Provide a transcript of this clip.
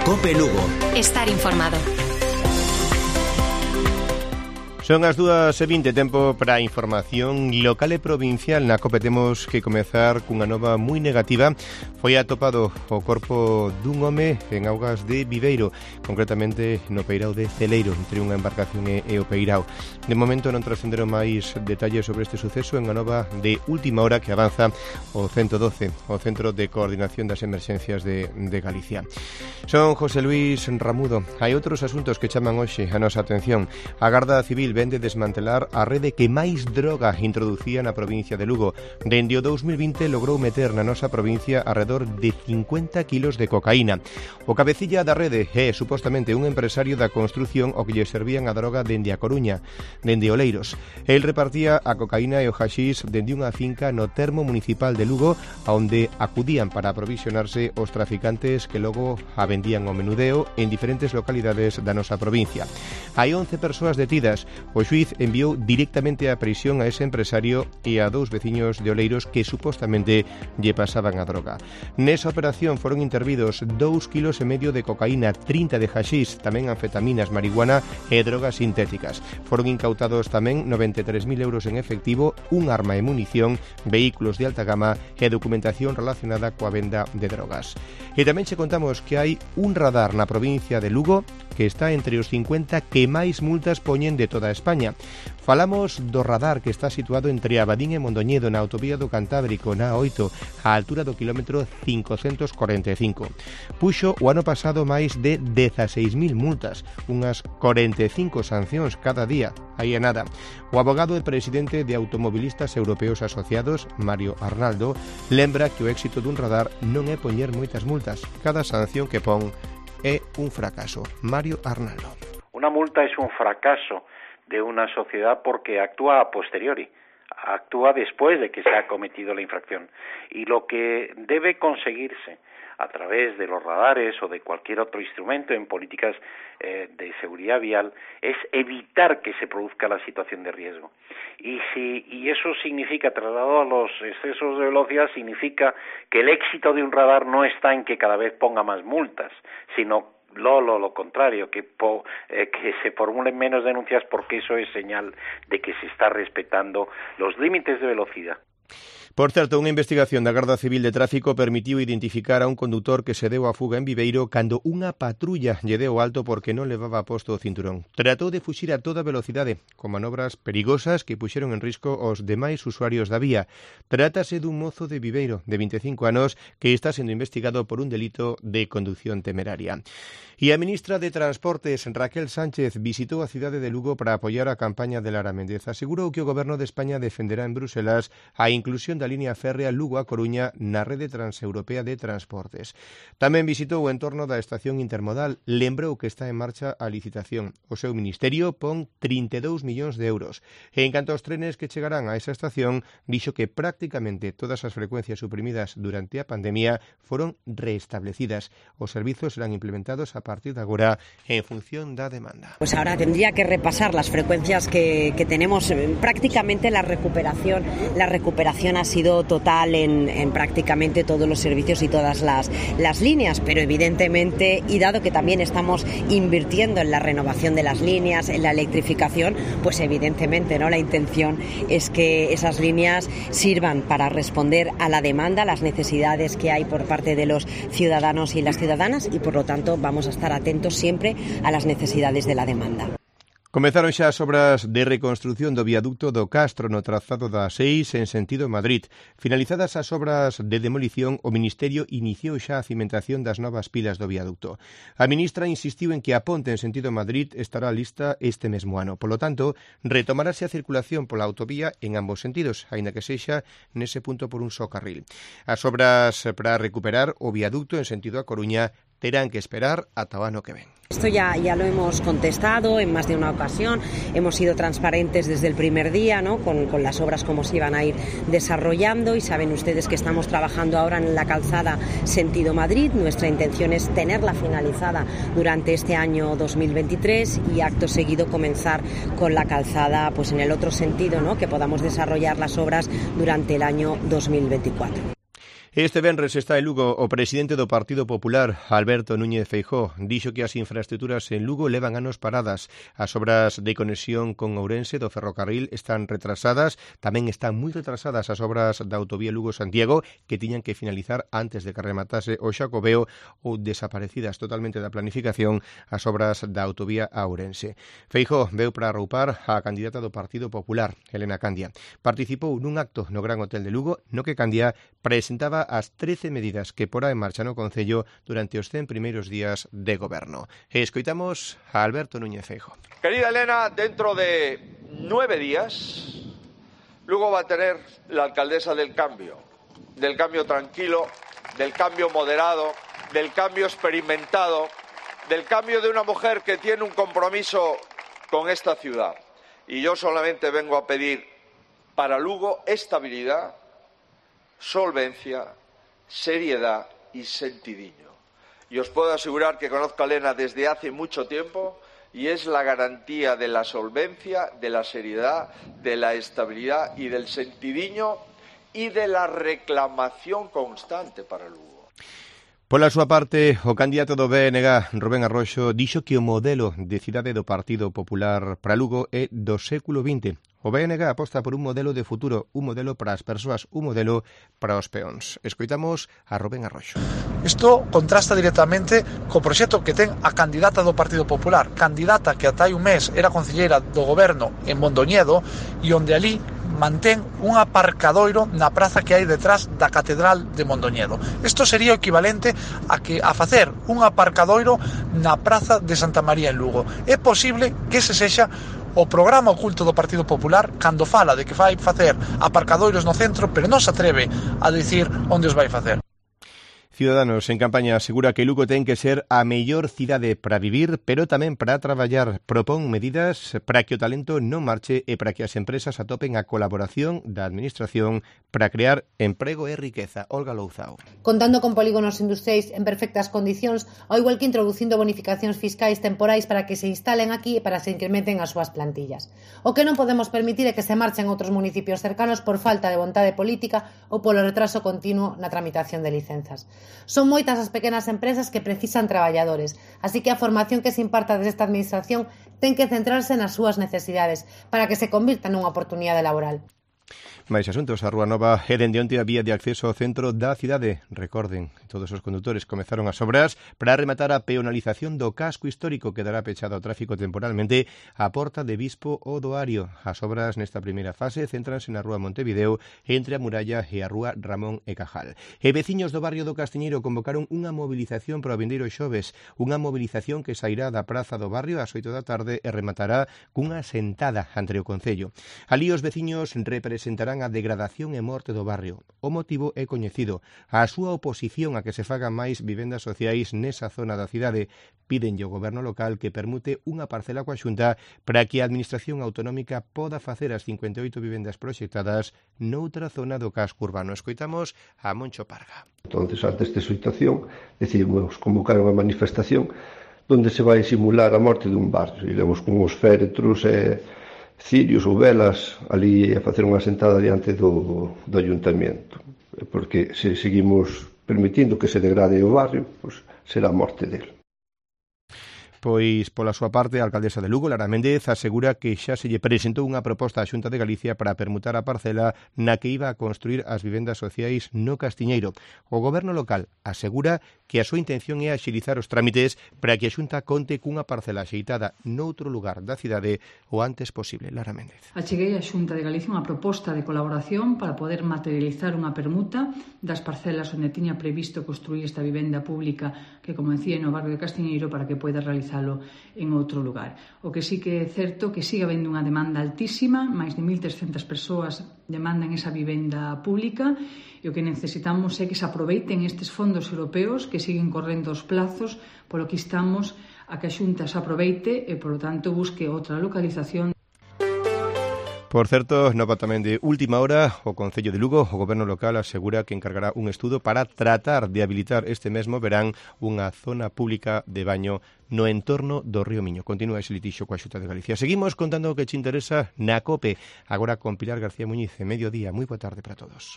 COPE Lugo. Estar informado. Son as 2:20, tempo para a información local e provincial. Na COPE temos que comezar cunha nova moi negativa. Foi atopado o corpo dun home en augas de Viveiro, concretamente no peirao de Celeiro, entre unha embarcación e o peirao. De momento non trascenderon máis detalles sobre este suceso en a nova de última hora que avanza o 112, o Centro de Coordinación das Emerxencias de Galicia. Son José Luis Ramudo. Hai outros asuntos que chaman hoxe a nosa atención. A Garda Civil vende desmantelar a rede que máis droga introducía na provincia de Lugo. Dende o 2020 logrou meter na nosa provincia alrededor de 50 kilos de cocaína. O cabecilla da rede é supostamente un empresario da construción o que lle servían a droga dende a Coruña, dende Oleiros. El repartía a cocaína e o haxís dende unha finca no termo municipal de Lugo, onde acudían para aprovisionarse os traficantes que logo a vendían ao menudeo en diferentes localidades da nosa provincia. Hai 11 persoas detidas. O xuíz enviou directamente á prisión a ese empresario e a 2 veciños de Oleiros que supostamente lle pasaban a droga. Nesa operación foron intervidos 2,5 kilos de cocaína, 30 de haxís, tamén anfetaminas, marihuana e drogas sintéticas. Foron incautados tamén 93.000 euros en efectivo, un arma e munición, vehículos de alta gama e documentación relacionada coa venda de drogas. E tamén che contamos que hai un radar na provincia de Lugo que está entre os 50 que máis multas poñen de toda España. Falamos do radar que está situado entre Abadín e Mondoñedo na autovía do Cantábrico, na A8, á altura do kilómetro 545. Puxo o ano pasado máis de 16.000 multas, unhas 45 sancións cada día. Aí é nada. O abogado e presidente de Automobilistas Europeos Asociados, Mario Arnaldo, lembra que o éxito dun radar non é poñer moitas multas. Cada sanción que pon é un fracaso. Mario Arnaldo. Una multa es un fracaso de una sociedad porque actúa a posteriori, actúa después de que se ha cometido la infracción. Y lo que debe conseguirse a través de los radares o de cualquier otro instrumento en políticas de seguridad vial es evitar que se produzca la situación de riesgo. Y eso significa, trasladado a los excesos de velocidad, significa que el éxito de un radar no está en que cada vez ponga más multas, sino lo contrario, que se formulen menos denuncias, porque eso es señal de que se está respetando los límites de velocidad. Por certo, unha investigación da Garda Civil de Tráfico permitiu identificar a un condutor que se deu a fuga en Viveiro cando unha patrulla lle deu alto porque non levaba posto o cinturón. Tratou de fuxir a toda velocidade, con manobras perigosas que puxeron en risco os demais usuarios da vía. Trátase dun mozo de Viveiro, de 25 anos, que está sendo investigado por un delito de condución temeraria. E a ministra de Transportes, Raquel Sánchez, visitou a cidade de Lugo para apoiar a campaña de Lara Méndez. Asegurou que o Goberno de España defenderá en Bruselas a inclusión da línea férrea Lugo a Coruña na rede transeuropea de transportes. Tamén visitou o entorno da estación intermodal. Lembrou que está en marcha a licitación. O seu ministerio pon 32 millóns de euros. E en canto aos trenes que chegarán a esa estación, dixo que prácticamente todas as frecuencias suprimidas durante a pandemia foron reestablecidas. Os servizos serán implementados a partir de agora en función da demanda. Pues ahora tendría que repasar las frecuencias que tenemos. Prácticamente la recuperación ha sido total en prácticamente todos los servicios y todas las líneas, pero evidentemente, y dado que también estamos invirtiendo en la renovación de las líneas, en la electrificación, pues evidentemente, ¿no?, la intención es que esas líneas sirvan para responder a la demanda, a las necesidades que hay por parte de los ciudadanos y las ciudadanas, y por lo tanto vamos a estar atentos siempre a las necesidades de la demanda. Comezaron xa as obras de reconstrución do viaducto do Castro no trazado da 6 en sentido Madrid. Finalizadas as obras de demolición, o Ministerio iniciou xa a cimentación das novas pilas do viaducto. A ministra insistiu en que a ponte en sentido Madrid estará lista este mesmo ano. Polo tanto, retomarase a circulación pola autovía en ambos sentidos, aínda que sexa nese punto por un só carril. As obras para recuperar o viaducto en sentido a Coruña terán que esperar ata o ano que ven. Esto ya lo hemos contestado en más de una ocasión, hemos sido transparentes desde el primer día, ¿no?, con las obras como se iban a ir desarrollando, y saben ustedes que estamos trabajando ahora en la calzada sentido Madrid. Nuestra intención es tenerla finalizada durante este año 2023 y acto seguido comenzar con la calzada pues en el otro sentido, ¿no?, que podamos desarrollar las obras durante el año 2024. Este venres está en Lugo o presidente do Partido Popular, Alberto Núñez Feijóo. Dixo que as infraestruturas en Lugo levan anos paradas. As obras de conexión con Ourense do ferrocarril están retrasadas. Tamén están moi retrasadas as obras da autovía Lugo-Santiago, que tiñan que finalizar antes de que rematase o Xacobeo, ou desaparecidas totalmente da planificación as obras da autovía a Ourense. Feijóo veu para arroupar a candidata do Partido Popular, Elena Candia. Participou nun acto no Gran Hotel de Lugo, no que Candia presentaba as 13 medidas que porá en marcha no Concello durante os 100 primeiros días de goberno. Escoitamos a Alberto Núñez Feijóo. Querida Elena, dentro de 9 días, Lugo va a tener la alcaldesa del cambio tranquilo, del cambio moderado, del cambio experimentado, del cambio de una mujer que tiene un compromiso con esta ciudad. Y yo solamente vengo a pedir para Lugo estabilidad, solvencia, seriedad y sentidiño. Y os puedo asegurar que conozco a Elena desde hace mucho tiempo y es la garantía de la solvencia, de la seriedad, de la estabilidad y del sentidiño y de la reclamación constante para Lugo. Pola súa parte, o candidato do BNG, Rubén Arroxo, dixo que o modelo de cidade do Partido Popular para Lugo é do século XX. O BNG aposta por un modelo de futuro, un modelo para as persoas, un modelo para os peóns. Escoitamos a Rubén Arroxo. Isto contrasta directamente co proxecto que ten a candidata do Partido Popular, candidata que ata hai un mes era concelleira do goberno en Mondoñedo e onde ali mantén un aparcadoiro na praza que hai detrás da Catedral de Mondoñedo. Isto sería o equivalente a facer un aparcadoiro na praza de Santa María en Lugo. É posible que ese sexa o programa oculto do Partido Popular cando fala de que vai facer aparcadoiros no centro, pero non se atreve a dicir onde os vai facer. Ciudadanos en campaña asegura que Lugo ten que ser a mellor cidade para vivir, pero tamén para traballar. Propón medidas para que o talento non marche e para que as empresas atopen a colaboración da administración para crear emprego e riqueza. Olga Louzao. Contando con polígonos industriais en perfectas condicións, ao igual que introducindo bonificacións fiscais temporais para que se instalen aquí e para que se incrementen as súas plantillas. O que non podemos permitir é que se marchen outros municipios cercanos por falta de vontade política ou polo retraso continuo na tramitación de licenzas. Son moitas as pequenas empresas que precisan traballadores, así que a formación que se imparta desde esta administración ten que centrarse nas súas necesidades para que se convirta nunha oportunidade laboral. Mais asuntos, a Rúa Nova é dende onte a vía de acceso ao centro da cidade. Recorden, todos os condutores comezaron as obras para rematar a peonalización do casco histórico que dará pechado ao tráfico temporalmente a porta de Bispo o do Ario. As obras nesta primeira fase céntranse na Rúa Montevideo entre a Muralla e a Rúa Ramón e Cajal. E veciños do barrio do Castiñeiro convocaron unha movilización para o vindeiro xoves, unha movilización que sairá da Praza do Barrio ás 8 da tarde e rematará cunha sentada ante o Concello. Alí os veciños representarán a degradación e morte do barrio. O motivo é coñecido. A súa oposición a que se fagan máis vivendas sociais nesa zona da cidade. Pídenlle ao goberno local que permute unha parcela coa Xunta para que a administración autonómica poda facer as 58 vivendas proxectadas noutra zona do casco urbano. Escoitamos a Moncho Parga. Entonces, ante esta situación, decidimos convocar unha manifestación onde se vai simular a morte dun barrio. Iremos con os féretros e cirios ou velas ali a facer unha sentada diante do ayuntamiento, porque se seguimos permitindo que se degrade o barrio, pois será a morte dele. Pois, pola súa parte, a alcaldesa de Lugo, Lara Méndez, asegura que xa se lle presentou unha proposta á Xunta de Galicia para permutar a parcela na que iba a construir as vivendas sociais no Castiñeiro. O goberno local asegura que a súa intención é axilizar os trámites para que a Xunta conte cunha parcela axeitada noutro lugar da cidade o antes posible. Lara Méndez. Acheguei á Xunta de Galicia unha proposta de colaboración para poder materializar unha permuta das parcelas onde tiña previsto construir esta vivenda pública que, como decía, no barrio de Castiñeiro para que poida realizarlo en outro lugar. O que sí que é certo que sigue habendo unha demanda altísima, máis de 1.300 persoas demandan esa vivenda pública e o que necesitamos é que se aproveiten estes fondos europeos que siguen correndo os plazos, polo que estamos a que a Xunta se aproveite e, polo tanto, busque outra localización. Por certo, nova tamén de última hora, o Concello de Lugo, o goberno local, asegura que encargará un estudo para tratar de habilitar este mesmo verán unha zona pública de baño no entorno do río Miño. Continúa ese litixo coa Xunta de Galicia. Seguimos contando o que te interesa na COPE, agora con Pilar García Muñiz, en mediodía. Moi boa tarde para todos.